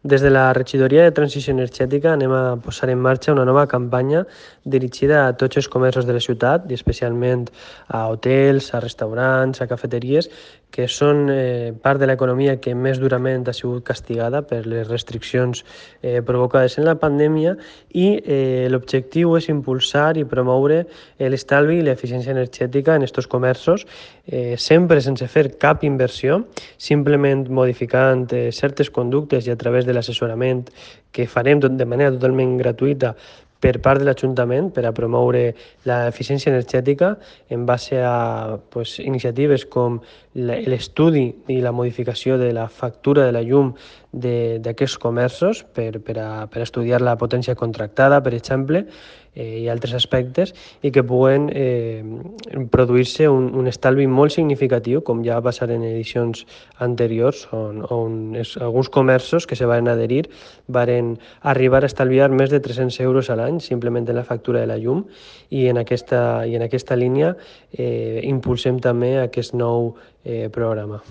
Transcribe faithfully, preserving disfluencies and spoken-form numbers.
Des de la Regidoria de Transició Energètica anem a posar en marxa una nova campanya dirigida a tots els comerços de la ciutat i especialment a hotels, a restaurants, a cafeteries, que són eh, part de l'economia que més durament ha sigut castigada per les restriccions eh, provocades en la pandèmia i eh, l'objectiu és impulsar i promoure l'estalvi i l'eficiència energètica en aquests comerços, eh, sempre sense fer cap inversió, simplement modificant eh, certes conductes i a través de l'assessorament que farem de manera totalment gratuïta per part de l'Ajuntament per a promoure l'eficiència energètica en base a pues, iniciatives com l'estudi i la modificació de la factura de la llum d'aquests comerços per, per, a, per a estudiar la potència contractada, per exemple, eh, i altres aspectes, i que puguen eh, produir-se un, un estalvi molt significatiu, com ja va passar en edicions anteriors, on, on es, alguns comerços que se van adherir van arribar a estalviar més de tres-cents euros a l'any simplement en la factura de la llum, i en aquesta, i en aquesta línia eh, impulsem també aquest nou eh, programa.